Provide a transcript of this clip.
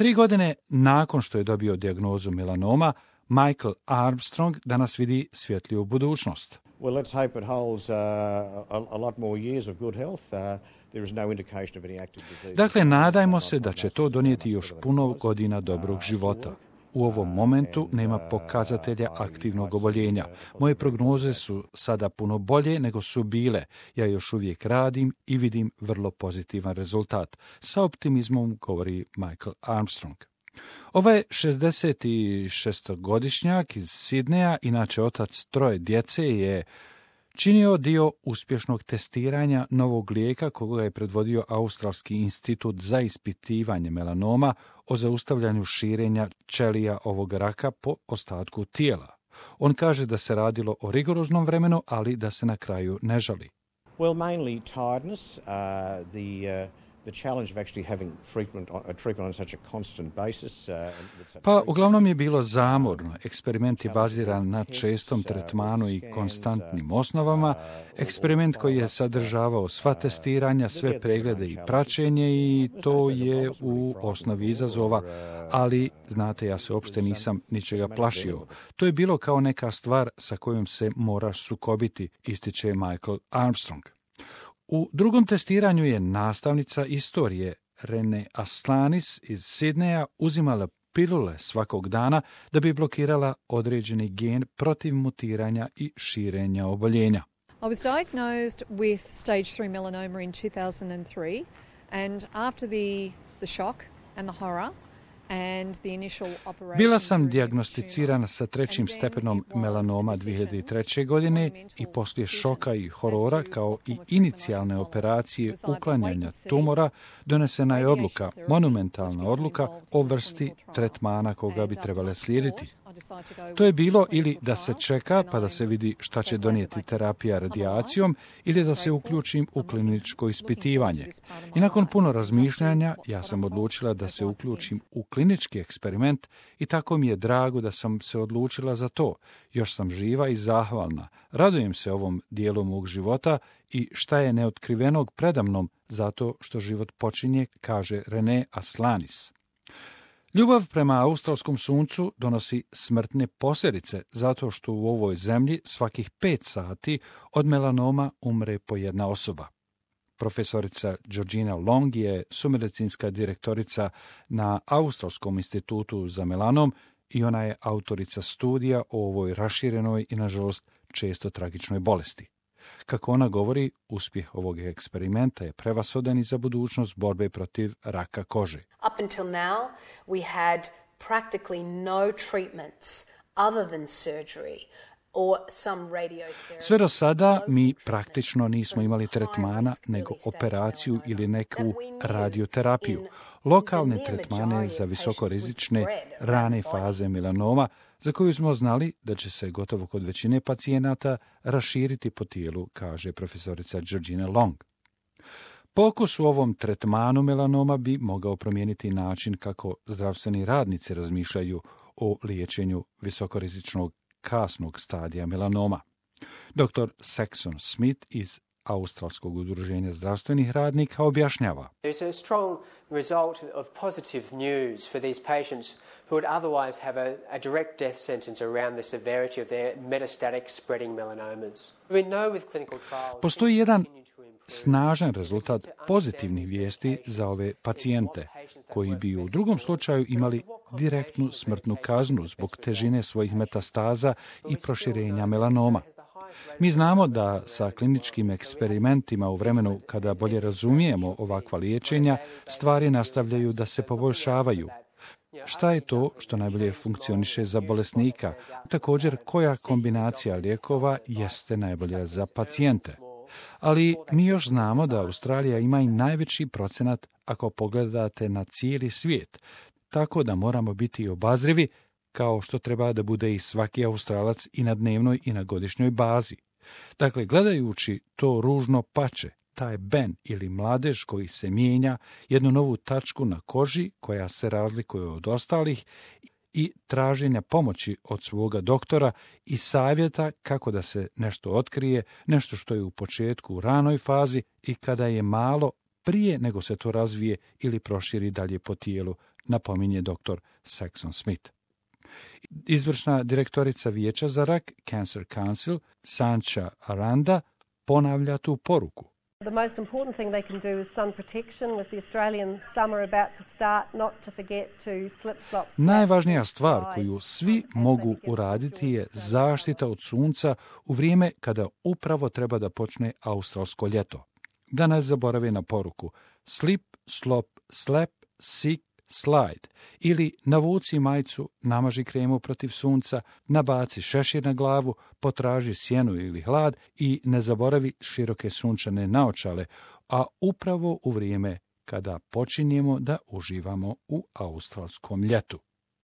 3 godine nakon što je dobio dijagnozu melanoma, Michael Armstrong danas vidi svjetliju budućnost. Well, let's hope it holds a lot more years of good health. There is no indication of any active disease. Dakle, nadajmo se da će to donijeti još puno godina dobrog života. U ovom momentu nema pokazatelja aktivnog oboljenja. Moje prognoze su sada puno bolje nego su bile. Ja još uvijek radim i vidim vrlo pozitivan rezultat. Sa optimizmom govori Michael Armstrong. Ovaj 66-godišnjak iz Sidneja, inače otac 3 djece, je činio dio uspješnog testiranja novog lijeka koga je predvodio Australski institut za ispitivanje melanoma o zaustavljanju širenja ćelija ovog raka po ostatku tijela. On kaže da se radilo o rigoroznom vremenu, ali da se na kraju ne žali. Well, mainly tiredness, the challenge of actually having treatment on such a constant basis. Pa uglavnom je bilo zamorno. Eksperiment je baziran na čestom tretmanu i konstantnim osnovama. Eksperiment koji je sadržavao sva testiranja, sve preglede i praćenje i to je u osnovi izazova, ali znate, ja se uopšte nisam ničega plašio. To je bilo kao neka stvar sa kojom se moraš sukobiti, ističe Michael Armstrong. U drugom testiranju je nastavnica istorije Rene Aslanis iz Sidneja uzimala pilule svakog dana da bi blokirala određeni gen protiv mutiranja i širenja oboljenja. I was diagnosed with stage 3 melanoma in 2003 and after the shock and the horror. Bila sam dijagnosticirana sa 3. stepenom melanoma 2003. godine i poslije šoka i horora kao i inicijalne operacije uklanjanja tumora donesena je odluka, monumentalna odluka o vrsti tretmana koga bi trebale slijediti. To je bilo ili da se čeka pa da se vidi šta će donijeti terapija radijacijom ili da se uključim u kliničko ispitivanje. I nakon puno razmišljanja ja sam odlučila da se uključim u klinički eksperiment i tako mi je drago da sam se odlučila za to. Još sam živa i zahvalna. Radujem se ovom dijelu mog života i šta je neotkrivenog predamnom zato što život počinje, kaže Rene Aslanis. Ljubav prema australskom suncu donosi smrtne posljedice zato što u ovoj zemlji svakih 5 sati od melanoma umre po jedna osoba. Profesorica Georgina Long je sumedicinska direktorica na Australskom institutu za melanom i ona je autorica studija o ovoj raširenoj i, nažalost, često tragičnoj bolesti. Kako ona govori, uspjeh ovog eksperimenta je prevasodan i za budućnost borbe protiv raka kože. Up until now, we had practically no treatments other than surgery. Sve do sada mi praktično nismo imali tretmana nego operaciju ili neku radioterapiju. Lokalne tretmane za visokorizične rane faze melanoma za koju smo znali da će se gotovo kod većine pacijenata raširiti po tijelu, kaže profesorica Georgina Long. Pokus u ovom tretmanu melanoma bi mogao promijeniti način kako zdravstveni radnici razmišljaju o liječenju visokorizičnog kasnog stadija melanoma. Dr. Saxon Smith iz Australskog udruženja zdravstvenih radnika objašnjava. There is a strong result of positive news for these patients who would otherwise have a direct death sentence around the severity of their metastatic spreading melanomas. We know with clinical trials. Postoji jedan snažan rezultat pozitivnih vijesti za ove pacijente, koji bi u drugom slučaju imali direktnu smrtnu kaznu zbog težine svojih metastaza i proširenja melanoma. Mi znamo da sa kliničkim eksperimentima u vremenu kada bolje razumijemo ovakva liječenja, stvari nastavljaju da se poboljšavaju. Šta je to što najbolje funkcioniše za bolesnika? Također, koja kombinacija lijekova jeste najbolja za pacijente? Ali mi još znamo da Australija ima i najveći procenat ako pogledate na cijeli svijet, tako da moramo biti obazrivi kao što treba da bude i svaki Australac i na dnevnoj i na godišnjoj bazi. Dakle, gledajući to ružno pače, taj ben ili mladež koji se mijenja, jednu novu tačku na koži koja se razlikuje od ostalih i traženja pomoći od svoga doktora i savjeta kako da se nešto otkrije, nešto što je u početku u ranoj fazi i kada je malo prije nego se to razvije ili proširi dalje po tijelu, napominje dr. Saxon Smith. Izvršna direktorica Vijeća za rak, Cancer Council, Sancha Aranda, ponavlja tu poruku. The most important thing they can do is sun protection. With the Australian summer about to start, not to forget to slip, slop, slap. Najvažnija stvar koju svi mogu uraditi je zaštita od sunca u vrijeme kada upravo treba da počne australsko ljeto. Da ne zaborave na poruku slip, slop, slap, sick, slide ili navuci majicu, namaži kremu protiv sunca, nabaci šešir na glavu, potraži sjenu ili hlad i ne zaboravi široke sunčane naočale, a upravo u vrijeme kada počinjemo da uživamo u australskom ljetu.